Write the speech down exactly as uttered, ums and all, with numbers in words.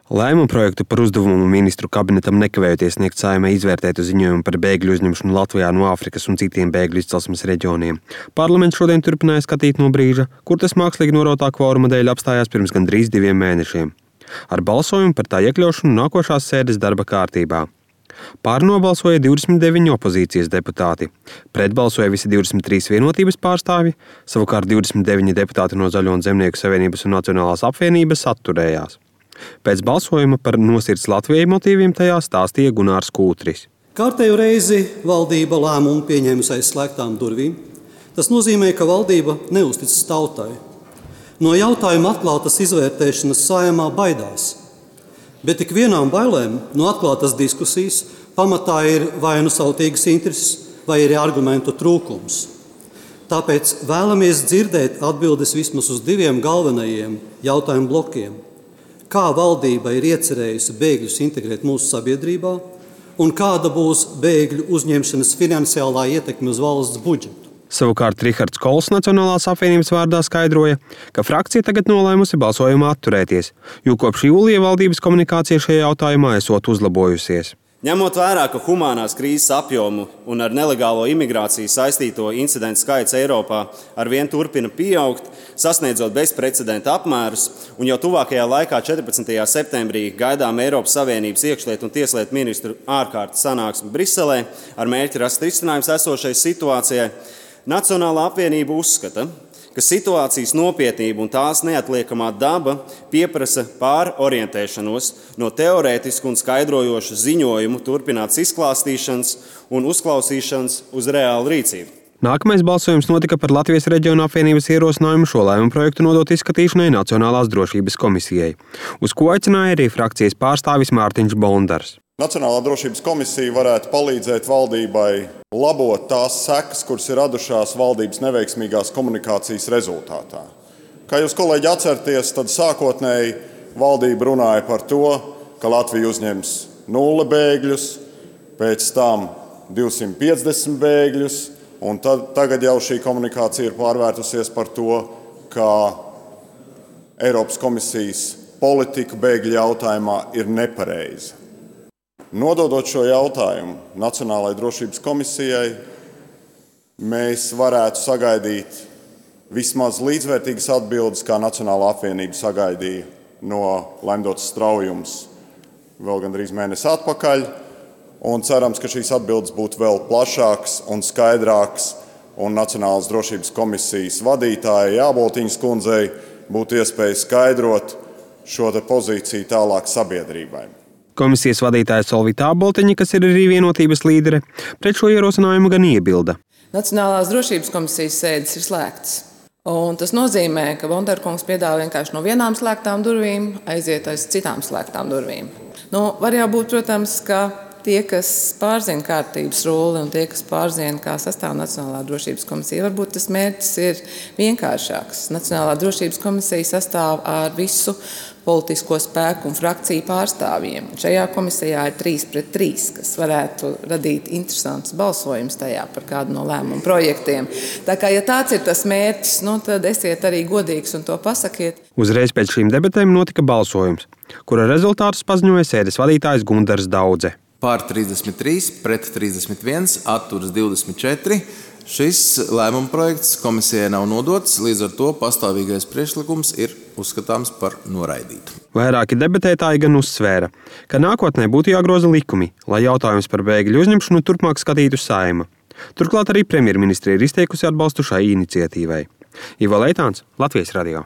Lēmumu projektu par uzdevumu ministru kabinetam nekavējoties sniegt Saeimai izvērtētu ziņojumu par bēgļu uzņemšanu Latvijā no Āfrikas un citiem bēgļu izcelsmes reģioniem. Parlaments šodien turpināja skatīt no brīža, kur tas mākslīgi norotā kvoruma dēļ apstājās pirms gandrīz diviem mēnešiem. Ar balsojumu par tā iekļaušanu nākošās sēdes darba kārtībā. Pār nobalsoja divdesmit deviņi opozīcijas deputāti. Pret balsoja visi divdesmit trīs vienotības pārstāvji, savukārt divdesmit deviņi deputāti no Zaļo un Zemnieku savienības un Nacionālās apvienības atturējās. Pēc balsojuma par Nosirds Latvijai motīviem tajā stāstīja Gunārs Kūtris. Kārtējo reizi valdība lēmumu pieņēmusi aiz slēgtām durvīm. Tas nozīmē, ka valdība neuzticas tautai. No jautājuma atklātas izvērtēšanas Saeimā baidās. Bet tik vienām bailēm no atklātas diskusijas pamatā ir vai nu sautīgas intereses, vai arī argumentu trūkums. Tāpēc vēlamies dzirdēt atbildes vismaz uz diviem galvenajiem jautājumu blokiem. Kā valdība ir iecerējusi bēgļus integrēt mūsu sabiedrībā un kāda būs bēgļu uzņemšanas finansiālā ietekme uz valsts budžetu. Savukārt Rihards Kols Nacionālās apvienības vārdā skaidroja, ka frakcija tagad nolēmusi balsojumā atturēties, jo kopš jūlija valdības komunikācija šajā jautājumā esot uzlabojusies. Ņemot vērā, ka humānās krīzes apjomu un ar nelegālo imigrāciju saistīto incidentu skaits Eiropā arvien turpina pieaugt, sasniedzot bezprecedenta apmērus, un jau tuvākajā laikā četrpadsmitajā septembrī gaidām Eiropas Savienības iekšlietu un tieslietu ministru ārkārtas sanāksmi Briselē ar mērķi rast risinājums esošai situācijai, Nacionālā apvienība uzskata, ka situācijas nopietnība un tās neatliekamā daba pieprasa pārorientēšanos no teorētisku un skaidrojošu ziņojumu turpināts izklāstīšanas un uzklausīšanas uz reālu rīcību. Nākamais balsojums notika par Latvijas reģiona apvienības ierosinājumu šo lēmumu projektu nodot izskatīšanai Nacionālās drošības komisijai, uz ko aicināja arī frakcijas pārstāvis Mārtiņš Bondars. Nacionālā drošības komisija varētu palīdzēt valdībai labot tās sekas, kuras ir radušās valdības neveiksmīgās komunikācijas rezultātā. Kā jūs, kolēģi, atceraties, tad sākotnēji valdība runāja par to, ka Latvija uzņems nulle bēgļus, pēc tam divsimt piecdesmit bēgļus, un tad, tagad jau šī komunikācija ir pārvērtusies par to, ka Eiropas komisijas politika bēgļu jautājumā ir nepareiza. Nododot šo jautājumu Nacionālajai drošības komisijai, mēs varētu sagaidīt vismaz līdzvērtīgas atbildes, kā Nacionālā apvienība sagaidīja no Lemdotas Straujums vēl gandrīz mēnesi atpakaļ, un cerams, ka šīs atbildes būtu vēl plašākas un skaidrākas, un Nacionālās drošības komisijas vadītājai Jāboltiņas kundzei būtu iespēja skaidrot šo te pozīciju tālāk sabiedrībai. Komisijas vadītāja Solvita Āboltiņa, kas ir arī vienotības līdere, pret šo ierosinājumu gan iebilda. Nacionālās drošības komisijas sēdes ir slēgtas. Un tas nozīmē, ka Bondarkungs piedāvā vienkārši no vienām slēgtām durvīm aiziet aiz citām slēgtām durvīm. Nu, var jau būt, protams, ka tie, kas pārzina kārtības rulli un tie, kas pārzina, kā sastāv Nacionālā drošības komisija, varbūt tas mērķis ir vienkāršāks. Nacionālā drošības komisija sastāv ar visu politisko spēku un frakciju pārstāvjiem. Šajā komisijā ir trīs pret trīs, kas varētu radīt interesants balsojums tajā par kādu no lēmumu projektiem. Tā kā, ja tāds ir tas mērķis, nu, tad esiet arī godīgs un to pasakiet. Uzreiz pēc šīm debatēm notika balsojums, kura rezultātus paziņoja sēdes vadītājs Gundars Daudze. Pār trīsdesmit trīs, pret trīsdesmit viens, atturas divdesmit četri. Šis lēmuma projekts komisijai nav nodots, līdz ar to pastāvīgais priekšlikums ir uzskatāms par noraidītu. Vairāki debatētāji gan uzsvēra, ka nākotnē būtu jāgroza likumi, lai jautājums par bēgļu uzņemšanu turpmāk skatītu Saeima. Turklāt arī premjerministre ir izteikusi atbalstu šai iniciatīvai. Ivo Leitāns, Latvijas radio.